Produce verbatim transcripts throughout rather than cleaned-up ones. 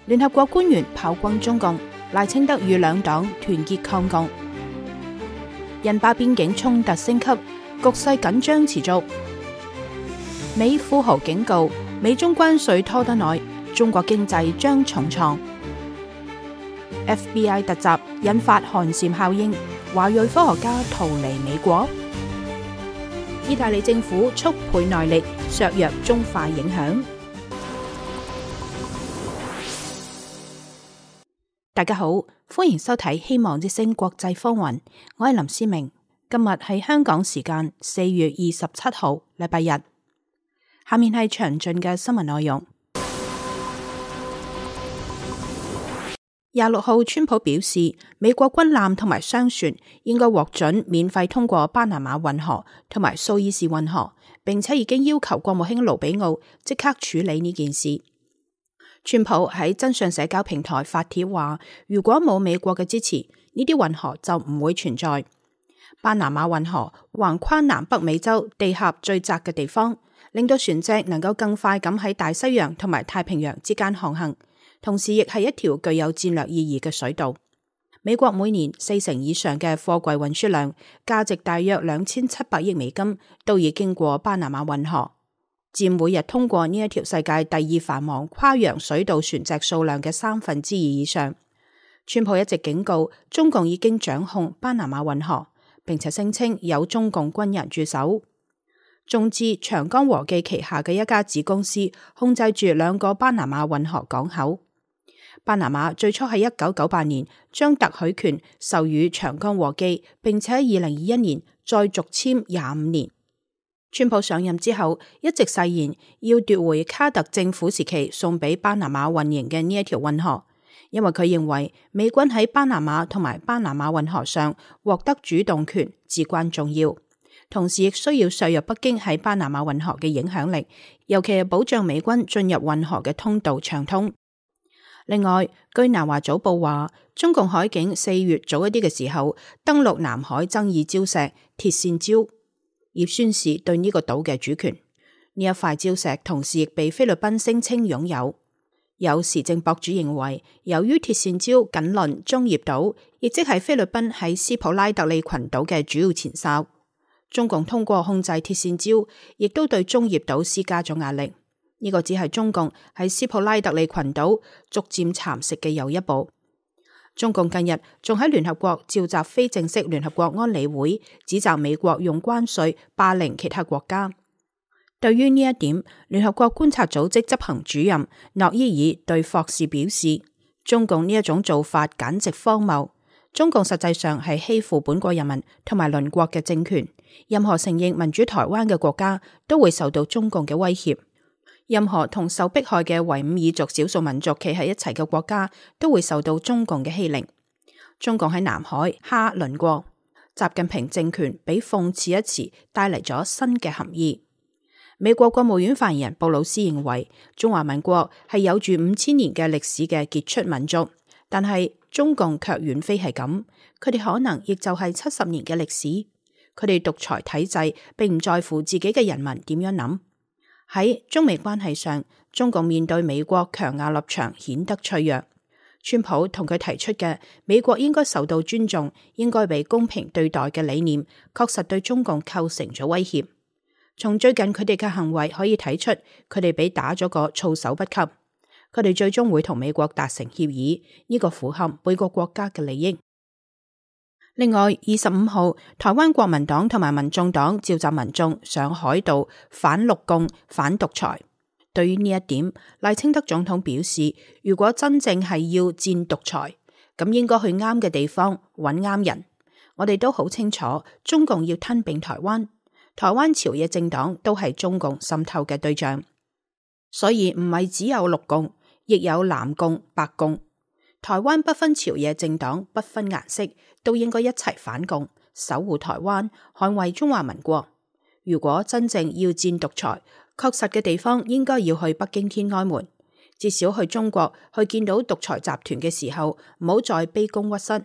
聯合國官員炮轟中共，賴清德與兩黨團結抗共。印巴邊境衝突升級，局勢緊張持續。美富豪警告，美中關稅拖得耐，中國經濟將重創。F B I 突襲引發寒蟬效應，華裔科學家逃離美國。意大利政府速倍內力削弱中化影響。大家好，歡迎收睇希望之聲國際風雲，我係林思明。今日係香港時間四月二十七號，禮拜日。下面係詳盡嘅新聞內容。廿六號，川普表示，美國軍艦同埋商船應該獲准免費通過巴拿馬運河同埋蘇伊士運河，並且已經要求國務卿盧比奧即刻處理呢件事。川普喺真相社交平台發帖話，如果冇美國嘅支持，呢啲運河就唔會存在。巴拿馬運河橫跨南北美洲地峽最窄嘅地方，令到船隻能夠更快咁喺大西洋同埋太平洋之間航行。同時亦係一條具有戰略意義嘅水道。美國每年四成以上嘅貨櫃運輸量，價值大約兩千七百億美金，都已經過巴拿馬運河，佔每日通過呢一條世界第二繁忙跨洋水道船隻數量嘅三分之二以上。川普一直警告中共已經掌控巴拿馬運河，並且聲稱有中共軍人駐守。中資長江和記旗下嘅一家子公司控制住兩個巴拿馬運河港口。巴拿馬最初喺一九九八年將特許權授予長江和記，並且喺二零二一年再續簽廿五年。川普上任之後，一直誓言要奪回卡特政府時期送俾巴拿馬運營嘅呢一條運河，因為佢認為美軍喺巴拿馬同埋巴拿馬運河上獲得主動權至關重要，同時亦需要削弱北京喺巴拿馬運河嘅影響力，尤其係保障美軍進入運河嘅通道暢通。另外，據南華早報話，中共海警四月早一啲嘅時候登陸南海爭議礁石鐵線礁，以宣示對呢個島嘅主權。呢一塊礁石同時亦被菲律賓聲稱擁有。有時政博主認為，由於鐵線礁緊鄰中業島，亦即係菲律賓喺斯普拉特利群島嘅主要前哨，中共通過控制鐵線礁，亦都對中業島施加咗壓力。呢個只係中共喺斯普拉特利群島逐漸蠶食嘅又一步。中共近日仲喺聯合國召集非正式聯合國安理會，指責美國用關稅霸凌其他國家。對於呢一點，聯合國觀察組織執行主任諾伊爾對霍士表示，中共呢一種做法簡直荒謬。中共實際上係欺負本國人民同埋鄰國嘅政權，任何承認民主台灣嘅國家都會受到中共嘅威脅。任何同受迫害嘅維吾爾族少數民族企喺一齊嘅國家都會受到中共嘅欺凌。中共喺南海蝦鄰國，習近平政權俾諷刺一詞帶嚟咗新嘅含義。美國國務院發言人布魯斯認為，中華民國係有住五千年嘅歷史嘅傑出民族，但係中共卻遠非係咁，佢哋可能亦就係七十年嘅歷史。佢哋獨裁體制並唔在乎自己嘅人民點樣諗。喺中美關係上，中共面對美國強硬立場顯得脆弱。川普同佢提出嘅美國應該受到尊重、應該被公平對待嘅理念，確實對中共構成咗威脅。從最近佢哋嘅行為可以睇出，佢哋俾打咗個措手不及。佢哋最終會同美國達成協議，呢個符合每個國家嘅利益。另外，二十五號，台灣國民黨同埋民眾黨召集民眾上海道反陸共、反獨裁。對於呢一點，賴清德總統表示，如果真正係要戰獨裁，咁應該去啱嘅地方揾啱人。我哋都好清楚，中共要吞併台灣，台灣朝野政黨都係中共滲透嘅對象，所以唔係只有陸共，亦有藍共、白共。台灣不分朝野政黨，不分顏色，都應該一齊反共，守護台灣，捍衛中華民國。如果真正要戰獨裁，確實嘅地方應該要去北京天安門，至少去中國去見到獨裁集團嘅時候，唔好再卑躬屈膝，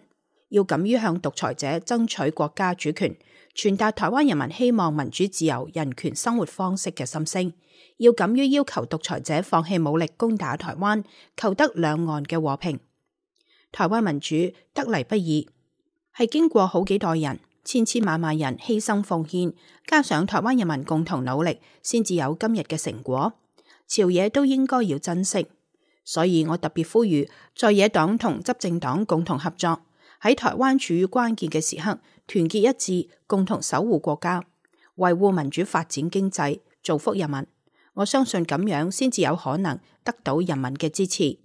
要敢於向獨裁者爭取國家主權，傳達台灣人民希望民主自由人權生活方式嘅心聲，要敢於要求獨裁者放棄武力攻打台灣，求得兩岸嘅和平。台灣民主得嚟不易，係經過好幾代人、千千萬萬人犧牲奉獻，加上台灣人民共同努力，先至有今日嘅成果。朝野都應該要珍惜，所以我特別呼籲在野黨同執政黨共同合作，喺台灣處於關鍵嘅時刻，團結一致，共同守護國家，維護民主發展經濟，造福人民。我相信咁樣先至有可能得到人民嘅支持。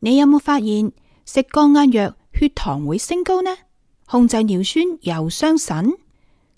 你有冇發現食降壓藥血糖會升高呢？控制尿酸又傷腎？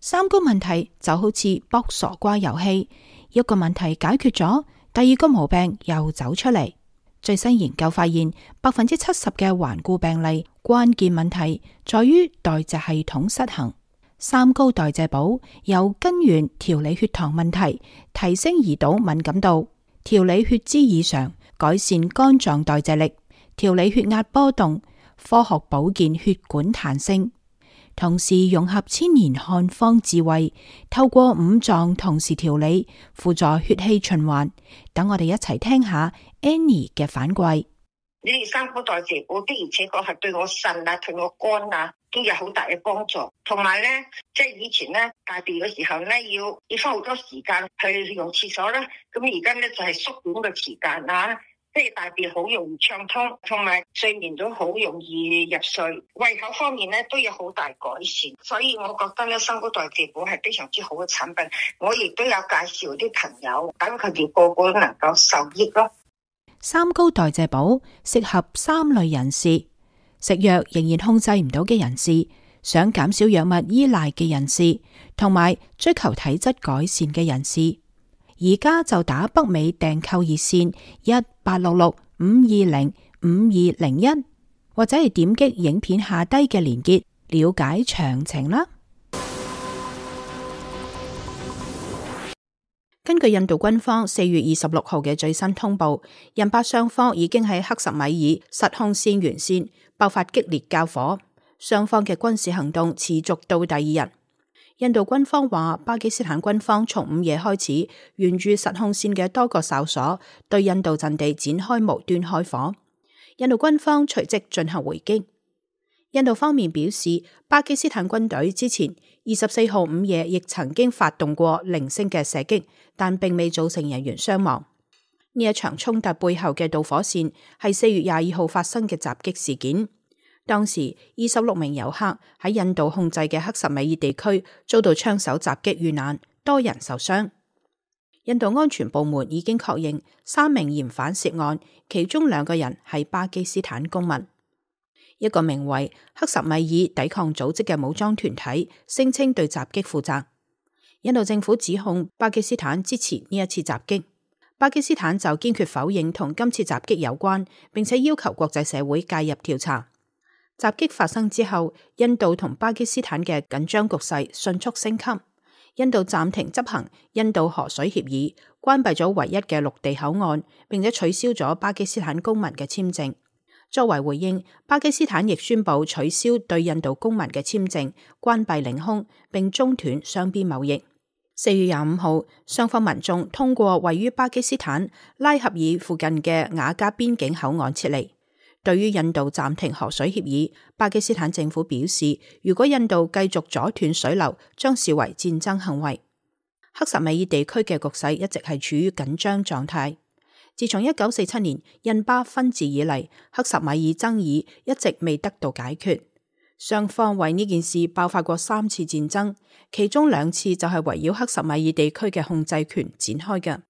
三高問題就好似卜傻瓜遊戲，一個問題解決咗，第二個毛病又走出嚟。最新研究發現，百分之七十嘅頑固病例關鍵問題在於代謝系統失衡。三高代謝寶由根源調理血糖問題，提升胰島敏感度，調理血脂異常，改善肝臟代謝力，調理血壓波動，科學保健血管彈性。同時融合千年漢方智慧，透過五臟同時調理，輔助血氣循環。等我哋一齊聽下 Annie 嘅反饋。你哋三高代謝寶的而且確係對我腎啊、對我肝啊都有好大嘅幫助。同埋咧，即係以前咧大便嘅時候咧，要要花好多時間去用廁所啦。咁而家咧就係縮短嘅時間啊。即係大便好容易暢通，同埋睡眠都好容易入睡，胃口方面咧都有好大改善，所以我覺得咧三高代謝寶係非常之好嘅產品。我亦都有介紹啲朋友，等佢哋個個都能夠受益咯。三高代謝寶適合三類人士：食藥仍然控制唔到嘅人士，想減少藥物依賴嘅人士，同埋追求體質改善嘅人士。而家就打北美訂購熱線一八六六五二零五二零一，或者係點擊影片下低嘅連結了解詳情啦。根據印度軍方四月二十六號嘅最新通報，印巴雙方已經喺克什米爾實控線沿線爆發激烈交火，雙方嘅軍事行動持續到第二日。印度軍方話，巴基斯坦軍方從午夜開始，沿住實控線嘅多個哨所對印度陣地展開無端開火。印度軍方隨即進行回擊。印度方面表示，巴基斯坦軍隊之前二十四號午夜亦曾經發動過零星嘅射擊，但並未造成人員傷亡。呢一場衝突背後嘅導火線係四月廿二號發生嘅襲擊事件。當時二十六名遊客喺印度控制嘅克什米爾地區遭到槍手襲擊遇難，多人受傷。印度安全部門已經確認三名嫌犯涉案，其中兩個人係巴基斯坦公民。一個名為克什米爾抵抗組織嘅武裝團體聲稱對襲擊負責。印度政府指控巴基斯坦支持呢一次襲擊，巴基斯坦就堅決否認同今次襲擊有關，並且要求國際社會介入調查。襲擊發生之後，印度同巴基斯坦嘅緊張局勢迅速升級。印度暫停執行印度河水協議，關閉咗唯一嘅陸地口岸，並且取消咗巴基斯坦公民嘅簽證。作為回應，巴基斯坦亦宣布取消對印度公民嘅簽證，關閉領空，並中斷雙邊貿易。四月廿五號，雙方民眾通過位於巴基斯坦拉合爾附近嘅瓦加邊境口岸撤離。對於印度暫停河水協議，巴基斯坦政府表示，如果印度繼續阻斷水流，將視為戰爭行為。克什米爾地區嘅局勢一直係處於緊張狀態。自從一九四七年印巴分治以嚟，克什米爾爭議一直未得到解決。雙方為呢件事爆發過三次戰爭，其中兩次就係圍繞克什米爾地區嘅控制權展開嘅。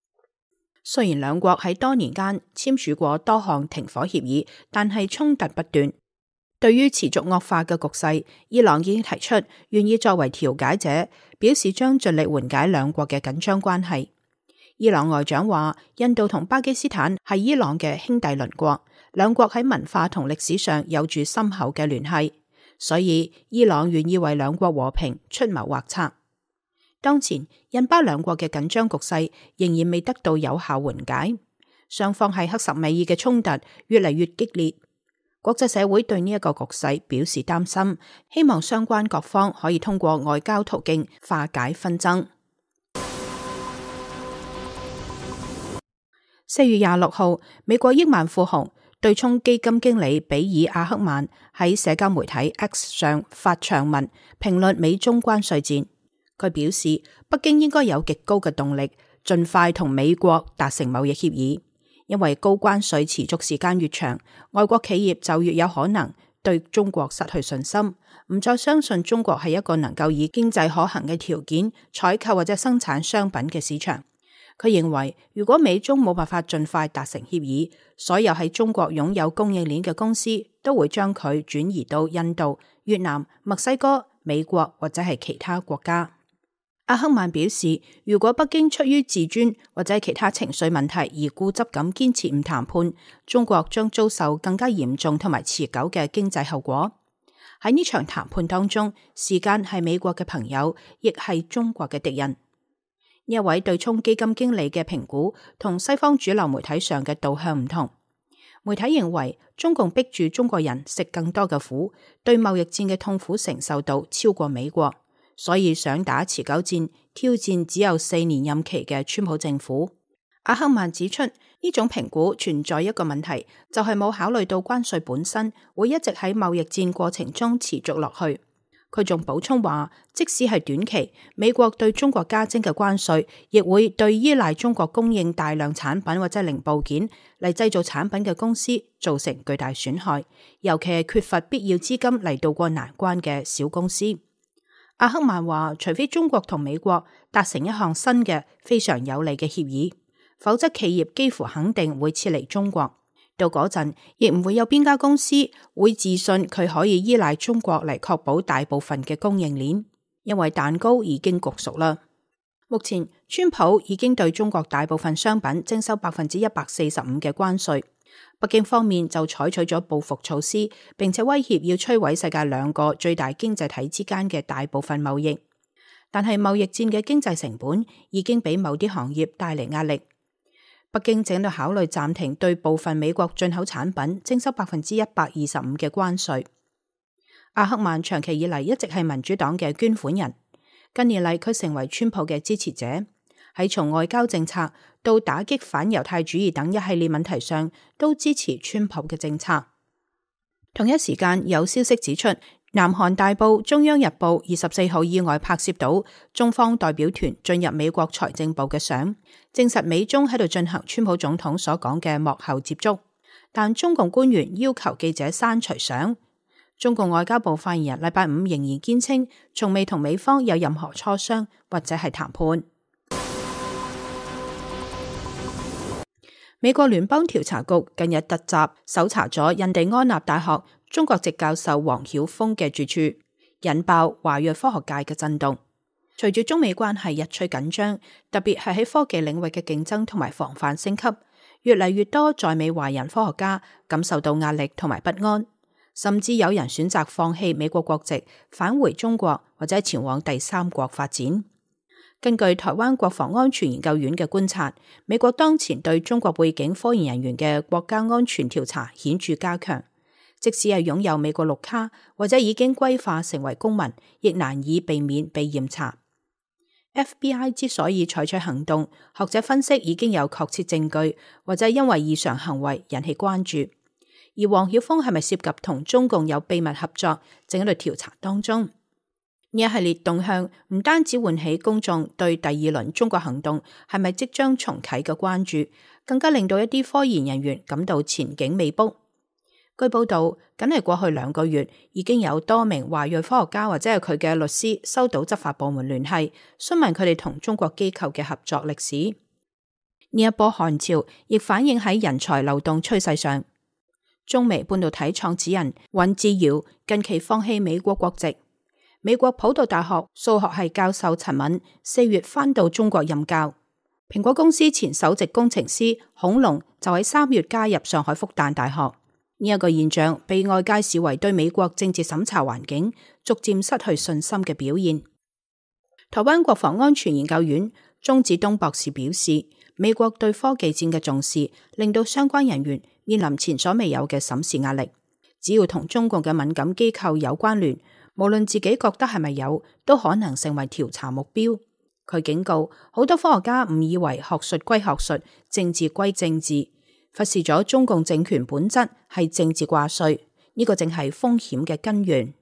雖然兩國喺多年間簽署過多項停火協議，但係衝突不斷。對於持續惡化嘅局勢，伊朗已經提出願意作為調解者，表示將盡力緩解兩國嘅緊張關係。伊朗外長話，印度同巴基斯坦係伊朗嘅兄弟鄰國，兩國喺文化同歷史上有住深厚嘅聯繫，所以伊朗願意為兩國和平出謀劃策。當前印巴兩國嘅緊張局勢仍然未得到有效緩解，雙方喺克什米爾嘅衝突越嚟越激烈。國際社會對呢一個局勢表示擔心，希望相關各方可以通過外交途徑化解紛爭。四月廿六號，美國億萬富豪對沖基金經理比爾·阿克曼喺社交媒體 X 上發長文評論美中關稅戰。佢表示，北京應該有極高嘅動力，盡快同美國達成貿易協議。因為高關稅持續時間越長，外國企業就越有可能對中國失去信心，唔再相信中國係一個能夠以經濟可行嘅條件採購或者生產商品嘅市場。佢認為，如果美中冇辦法盡快達成協議，所有喺中國擁有供應鏈嘅公司都會將佢轉移到印度、越南、墨西哥、美國或者係其他國家。阿克曼表示，如果北京出於自尊或者其他情緒問題而固執咁堅持唔談判，中國將遭受更加嚴重同埋持久嘅經濟後果。喺呢場談判當中，時間係美國嘅朋友，亦係中國嘅敵人。呢一位對沖基金經理嘅評估同西方主流媒體上嘅導向唔同。媒體認為中共逼住中國人食更多嘅苦，對貿易戰嘅痛苦承受度超過美國。所以想打持久戰，挑戰只有四年任期嘅川普政府。阿克曼指出，呢種評估存在一個問題，就係冇考慮到關稅本身會一直喺貿易戰過程中持續落去。佢仲補充話，即使係短期，美國對中國加徵嘅關稅，亦會對依賴中國供應大量產品或者零部件嚟製造產品嘅公司造成巨大損害，尤其係缺乏必要資金嚟渡過難關嘅小公司。阿克曼話，除非中國同美國達成一項新嘅非常有利嘅協議，否則企業幾乎肯定會撤離中國。到嗰陣，亦唔會有邊家公司會自信佢可以依賴中國嚟確保大部分嘅供應鏈，因為蛋糕已經焗熟啦。目前，川普已經對中國大部分商品徵收百分之一百四十五嘅關稅。北京方面就採取咗報復措施，並且威脅要摧毀世界兩個最大經濟體之間嘅大部分貿易。但係貿易戰嘅經濟成本已經俾某啲行業帶嚟壓力。北京正喺度考慮暫停對部分美國進口產品徵收百分之一百二十五嘅關稅。阿克曼長期以嚟一直係民主黨嘅捐款人，近年嚟佢成為川普嘅支持者。喺從外交政策到打擊反猶太主義等一系列問題上，都支持川普嘅政策。同一時間，有消息指出，南韓大報《中央日報》二十四號意外拍攝到中方代表團進入美國財政部嘅相，證實美中喺度進行川普總統所講嘅幕後接觸。但中共官員要求記者刪除相。中共外交部發言人禮拜五仍然堅稱，從未同美方有任何磋商或者係談判。美國聯邦調查局近日突襲搜查咗印第安納大學中國籍教授黃曉峰嘅住處，引爆華裔科學界嘅震動。隨住中美關係日趨緊張，特別係喺科技領域嘅競爭同埋防範升級，越嚟越多在美華人科學家感受到壓力同埋不安，甚至有人選擇放棄美國國籍，返回中國或者前往第三國發展。根據台灣國防安全研究院嘅觀察，美國當前對中國背景科研人員嘅國家安全調查顯著加強，即使係擁有美國綠卡或者已經歸化成為公民，亦難以避免被驗查。F B I 之所以採取行動，學者分析已經有確切證據，或者因為異常行為引起關注。而黃曉峰係咪涉及同中共有秘密合作，正喺度調查當中。呢一系列動向唔單止喚起公眾對第二輪中國行動係咪即將重啟嘅關注，更加令到一啲科研人員感到前景未卜。據報道，僅係過去兩個月，已經有多名華裔科學家或者係佢嘅律師收到執法部門聯繫，詢問佢哋同中國機構嘅合作歷史。呢一波寒潮亦反映喺人才流動趨勢上。中微半導體創始人尹志堯近期放棄美國國籍。美國普渡大學數學系教授陳敏四月返到中國任教。蘋果公司前首席工程師孔龍就喺三月加入上海復旦大學。呢一個現象被外界視為對美國政治審查環境逐漸失去信心嘅表現。台灣國防安全研究院鍾子東博士表示，美國對科技戰嘅重視令到相關人員面臨前所未有嘅審視壓力。只要同中共嘅敏感機構有關聯，無論自己覺得係咪有，都可能成為調查目標。佢警告好多科學家誤以為學術歸學術，政治歸政治，忽視咗中共政權本質係政治掛帥，呢個正係風險嘅根源。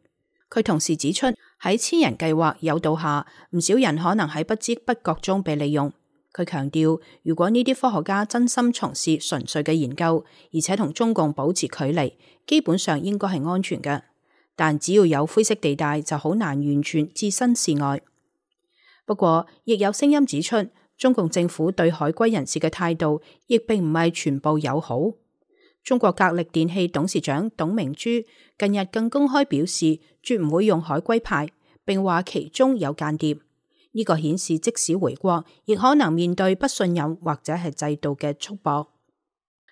佢同時指出，喺千人計劃誘導下，唔少人可能喺不知不覺中被利用。佢強調，如果呢啲科學家真心從事純粹嘅研究，而且同中共保持距離，基本上應該係安全嘅。但只要有灰色地帶，就好難完全置身事外。不過，亦有聲音指出，中共政府對海歸人士嘅態度亦並唔係全部友好。中國格力電器董事長董明珠近日更公開表示，絕唔會用海歸派，並話其中有間諜。呢個顯示即使回國，亦可能面對不信任或者係制度嘅束縛。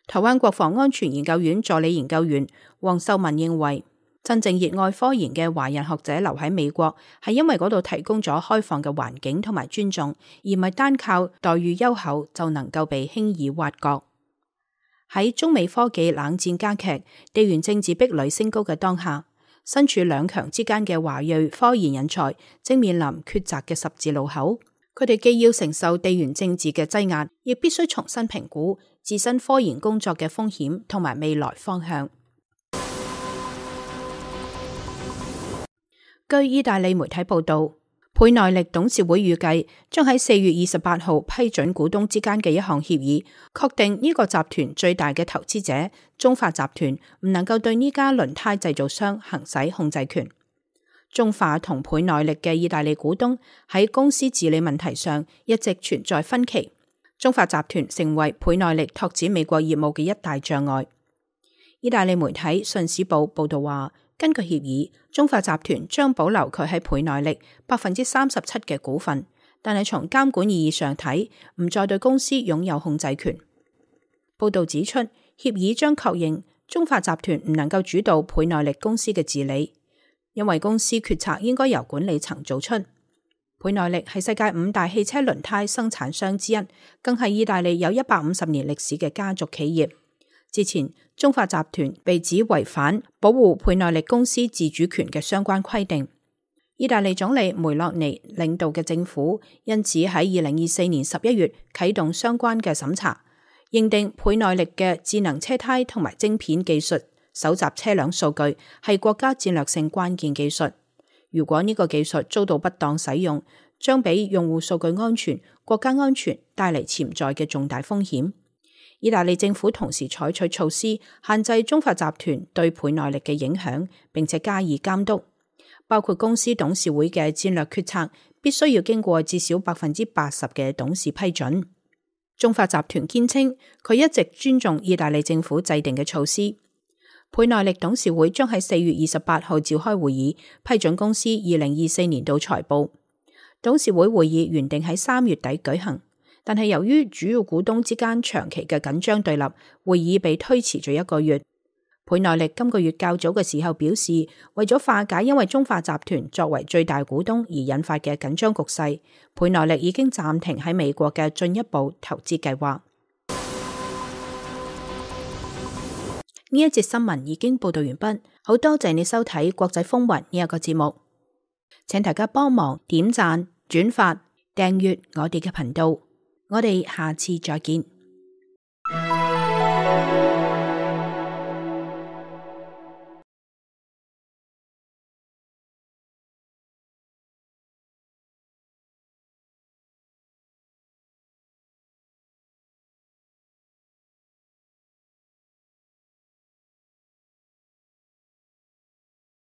台灣國防安全研究院助理研究員黃秀文認為，真正熱愛科研嘅華人學者留喺美國，係因為嗰度提供咗開放嘅環境同埋尊重，而唔係單靠待遇優厚就能夠被輕易挖角。喺中美科技冷戰加劇、地緣政治壁壘升高嘅當下，身處兩強之間嘅華裔科研人才正面臨抉擇嘅十字路口。佢哋既要承受地緣政治嘅擠壓，亦必須重新評估自身科研工作嘅風險同埋未來方向。據意大利媒體報道，倍耐力董事會預計將喺四月二十八號批准股東之間嘅一項協議，確定呢個集團最大嘅投資者中化集團唔能夠對呢家輪胎製造商行使控制權。中化同倍耐力嘅意大利股東喺公司治理問題上一直存在分歧，中化集團成為倍耐力拓展美國業務嘅一大障礙。意大利媒體《信使報》報道話，根據協議，中化集團將保留佢喺倍耐力百分之三十七嘅股份，但係從監管意義上睇，唔再對公司擁有控制權。報道指出，協議將確認中化集團唔能夠主導倍耐力公司嘅治理，因為公司決策應該由管理層做出。倍耐力係世界五大汽車輪胎生產商之一，更係意大利有一百五十年歷史嘅家族企業。之前，中化集團被指違反保護倍耐力公司自主權嘅相關規定。意大利總理梅洛尼領導嘅政府因此喺二零二四年十一月啟動相關嘅審查，認定倍耐力嘅智能車胎同埋晶片技術搜集車輛數據係國家戰略性關鍵技術。如果呢個技術遭到不當使用，將俾用戶數據安全、國家安全帶嚟潛在嘅重大風險。意大利政府同時採取措施限制中化集團對倍耐力嘅影響，並且加以監督，包括公司董事會嘅戰略決策必須要經過至少百分之八十嘅董事批准。中化集團堅稱佢一直尊重意大利政府制定嘅措施。倍耐力董事會將喺四月二十八號召開會議，批准公司二零二四年度財報。董事會會議原定喺三月底舉行。但係由於主要股東之間長期嘅緊張對立，會議被推遲咗一個月。倍耐力今個月較早嘅時候表示，為咗化解因為中化集團作為最大股東而引發嘅緊張局勢，倍耐力已經暫停喺美國嘅進一步投資計劃。呢一節新聞已經報道完畢，好多謝你收睇國際風雲呢一個節目，請大家幫忙點讚、轉發、訂閱我哋嘅頻道。我哋下次再見。